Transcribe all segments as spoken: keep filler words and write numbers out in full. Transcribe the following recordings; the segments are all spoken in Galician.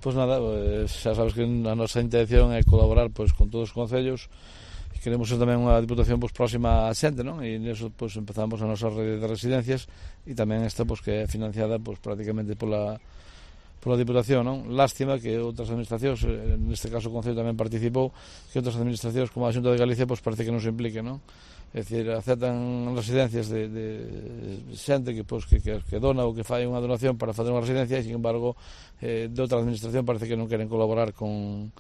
Pois nada, xa sabes que a nosa intención é colaborar pois con todos os concellos. Queremos ser tamén unha diputación pois próxima á xente, non? E niso pois empezamos a nosa rede de residencias e tamén esta pois que é financiada pois prácticamente pola pola Diputación, non? Lástima que outras administracións, neste caso o Concello tamén participou, que outras administracións como a Xunta de Galicia pois parece que non se impliquen, non? É dicir, aceptan residencias de, de xente que, pois, que, que, que dona ou que fai unha donación para fazer unha residencia e, sin embargo, eh, de outra administración parece que non queren colaborar con,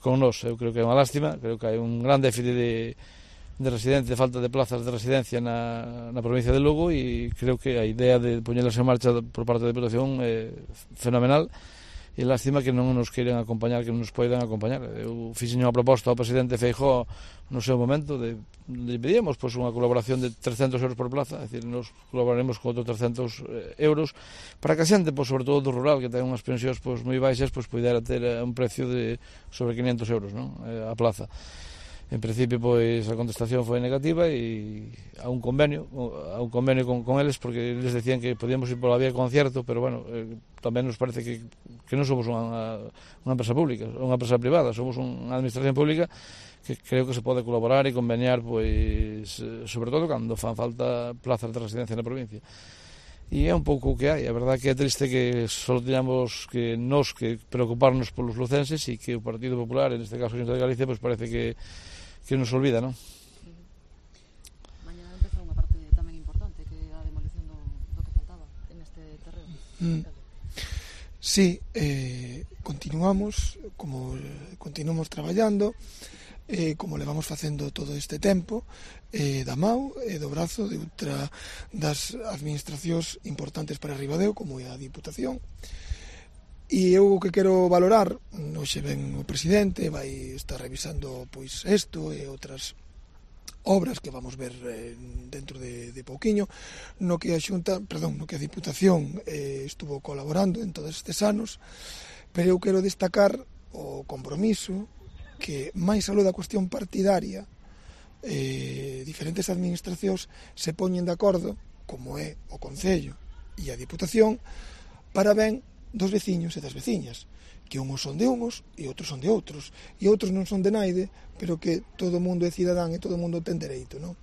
con nós. Eu creo que é unha lástima, creo que hai un gran déficit de, de residencia, de falta de plazas de residencia na, na provincia de Lugo e creo que a idea de poñelas en marcha por parte da Diputación é fenomenal. E lástima que non nos queiren acompañar, que non nos poidan acompañar. Eu fixen unha proposta ao presidente Feijóo no seu momento de, de pedíamos pois, unha colaboración de trescentos euros por plaza, é dicir, nos colaboraremos con outros trescentos euros para que a xente, pois, sobre todo do rural, que ten unhas pensións pois, moi baixas, pois, poidera ter un precio de sobre quinhentos euros, non? A plaza. En principio, pois, a contestación foi negativa e a un convenio, a un convenio con, con eles, porque eles decían que podíamos ir pola vía concierto, pero, bueno, eh, tamén nos parece que, que non somos unha, unha empresa pública, unha empresa privada, somos unha administración pública que creo que se pode colaborar e conveniar, pois, sobre todo cando fan falta plazas de residencia na provincia. E é un pouco o que hai. A verdade que é triste que só teñamos que nos que preocuparnos polos lucenses e que o Partido Popular, en este caso a Xunta de Galicia, pois parece que que nos olvida, non? Mañana empeza unha parte tamén importante, que é a demolición do, do que faltaba en este terreno. Mm. Sí, eh, continuamos, como continuamos traballando, eh, como levamos facendo todo este tempo, eh, da mau e do brazo de outra das administracións importantes para Ribadeo, como é a Diputación. E eu o que quero valorar, hoxe ven o presidente, vai estar revisando pois isto e outras obras que vamos ver eh, dentro de, de pouquiño, no que a Xunta, perdón, no que a Diputación eh, estuvo colaborando en todos estes anos, pero eu quero destacar o compromiso que máis aló da cuestión partidaria eh, diferentes administracións se poñen de acordo, como é o Concello e a Diputación, para ben dos veciños e das veciñas, que unhos son de unhos e outros son de outros, e outros non son de naide, pero que todo o mundo é cidadán e todo o mundo ten dereito, non?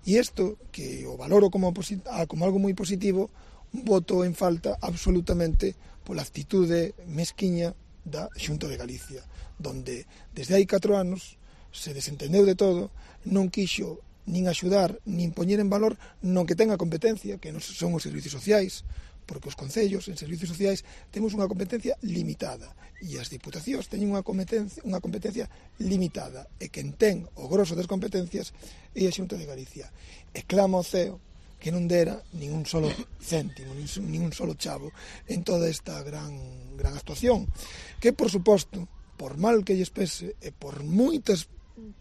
E isto, que o valoro como, como algo moi positivo, voto en falta absolutamente pola actitude mesquiña da Xunta de Galicia, donde desde hai catro anos se desentendeu de todo, non quixo nin axudar, nin poñer en valor non que ten a competencia, que non son os servicios sociais, porque os concellos en servicios sociais temos unha competencia limitada e as diputacións teñen unha competencia, unha competencia limitada e quen ten o grosso das competencias é a Xunta de Galicia. E clama ao ceo que non dera nin un solo céntimo, nin un solo chavo en toda esta gran, gran actuación, que, por suposto, por mal que lles pese e por moitas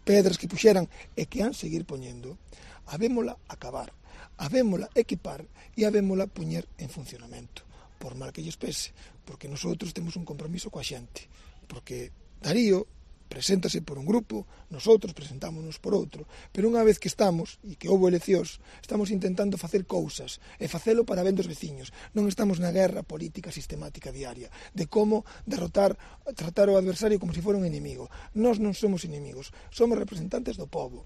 pedras que puxeran e que han seguir poñendo, habémola acabar, habémola equipar e habémola poñer en funcionamento, por mal que lles pese, porque nosotros temos un compromiso coa xente, porque Darío preséntase por un grupo, nosotros presentámonos por outro, pero unha vez que estamos, e que houbo eleccións, estamos intentando facer cousas, e facelo para ben dos veciños, non estamos na guerra política sistemática diaria, de como derrotar, tratar o adversario como se fora un inimigo. Nós non somos inimigos, somos representantes do povo,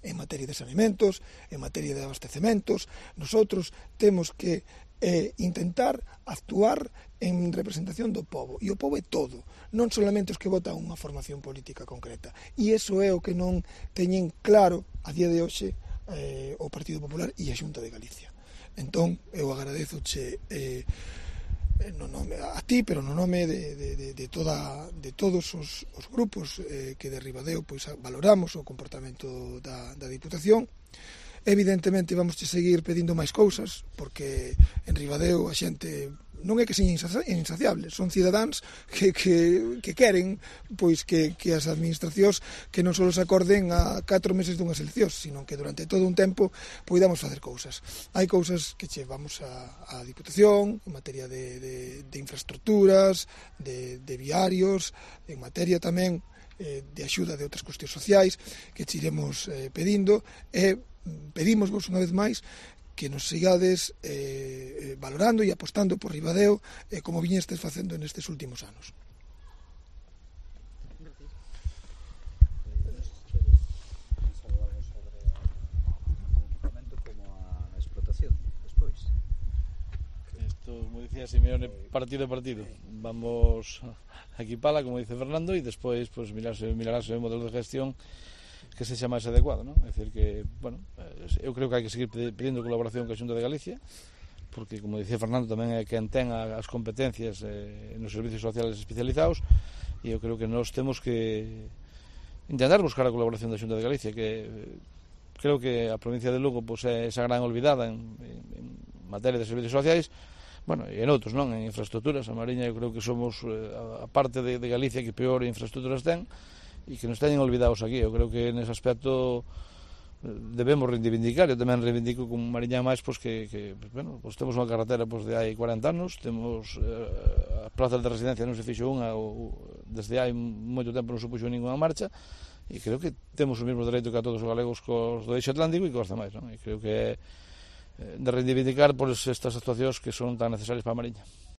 en materia de saneamentos, en materia de abastecementos. Nosotros temos que eh, intentar actuar en representación do povo, e o povo é todo, non solamente os que votan unha formación política concreta, e iso é o que non teñen claro a día de hoxe eh, o Partido Popular e a Xunta de Galicia. Entón, eu agradezoche eh, no nome a ti, pero no nome de, de, de, de, toda, de todos os, os grupos eh, que de Ribadeo pois, valoramos o comportamento da, da Diputación. Evidentemente vamos a seguir pedindo máis cousas, porque en Ribadeo a xente non é que sean insaciables, son cidadáns que, que, que queren pois que, que as administracións que non só se acorden a catro meses dunhas eleccións, sino que durante todo un tempo poidamos facer cousas. Hai cousas que chevamos a, a Diputación en materia de, de, de infraestructuras, de, de viarios, en materia tamén eh, de axuda de outras cuestións sociais que che iremos eh, pedindo, e pedimos vos unha vez máis que nos sigades eh, valorando e apostando por Ribadeo eh, como viñestes facendo nestes últimos anos. Como dicía Simeone, partido a partido vamos a equipala, como dice Fernando, e despois pues, mirarse, mirarase o modelo de gestión que se xa máis adecuado, non? É dicir que, bueno, eu creo que hai que seguir pedindo colaboración coa Xunta de Galicia, porque, como dicía Fernando, tamén é quen ten as competencias eh, nos servicios sociales especializados, e eu creo que nós temos que intentar buscar a colaboración da Xunta de Galicia, que creo que a provincia de Lugo pues, é esa gran olvidada en, en, en materia de servicios sociais, bueno, e en outros, non? En infraestructuras, a Mariña eu creo que somos eh, a parte de, de Galicia que peor infraestructuras ten, e que nos teñen olvidados aquí. Eu creo que nese aspecto debemos reivindicar. Eu tamén reivindico como Mariña máis pois, que, que bueno, pois temos unha carretera pois, de hai cuarenta anos, temos eh, as plazas de residencia non se fixo unha ou, desde hai moito tempo non se puxo ninguna marcha, e creo que temos o mesmo dereito que a todos os galegos cos do eixo atlántico e cos demais, non? E creo que é de reivindicar por estas actuacións que son tan necesarias para a Mariña.